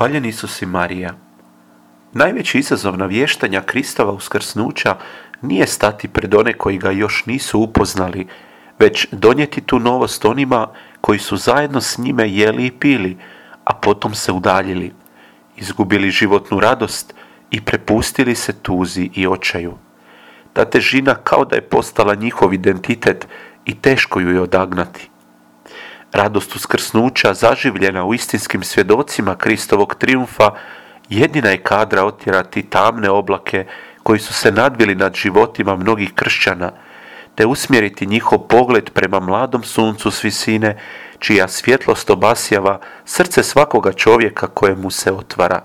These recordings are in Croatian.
Hvaljen Isus i Marija. Najveći izazov navještanja Kristova uskrsnuća nije stati pred one koji ga još nisu upoznali, već donijeti tu novost onima koji su zajedno s njime jeli i pili, a potom se udaljili, izgubili životnu radost i prepustili se tuzi i očaju. Ta težina kao da je postala njihov identitet i teško ju je odagnati. Radost uskrsnuća, zaživljena u istinskim svjedocima Kristovog trijumfa, jedina je kadra otjerati tamne oblake koji su se nadvili nad životima mnogih kršćana, te usmjeriti njihov pogled prema mladom suncu s visine, čija svjetlost obasjava srce svakoga čovjeka kojemu se otvara.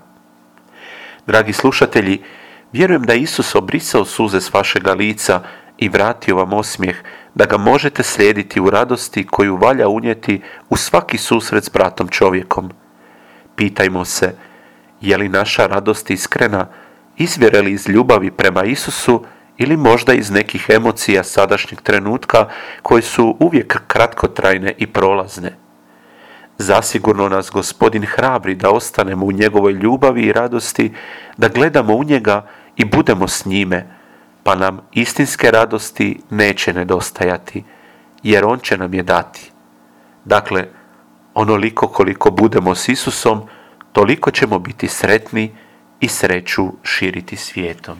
Dragi slušatelji, vjerujem da je Isus obrisao suze s vašega lica i vratio vam osmijeh, da ga možete slijediti u radosti koju valja unijeti u svaki susret s bratom čovjekom. Pitajmo se, je li naša radost iskrena, izvire li iz ljubavi prema Isusu ili možda iz nekih emocija sadašnjeg trenutka koje su uvijek kratkotrajne i prolazne. Zasigurno nas Gospodin hrabri da ostanemo u njegovoj ljubavi i radosti, da gledamo u njega i budemo s njime, pa nam istinske radosti neće nedostajati, jer on će nam je dati. Dakle, onoliko koliko budemo s Isusom, toliko ćemo biti sretni i sreću širiti svijetom.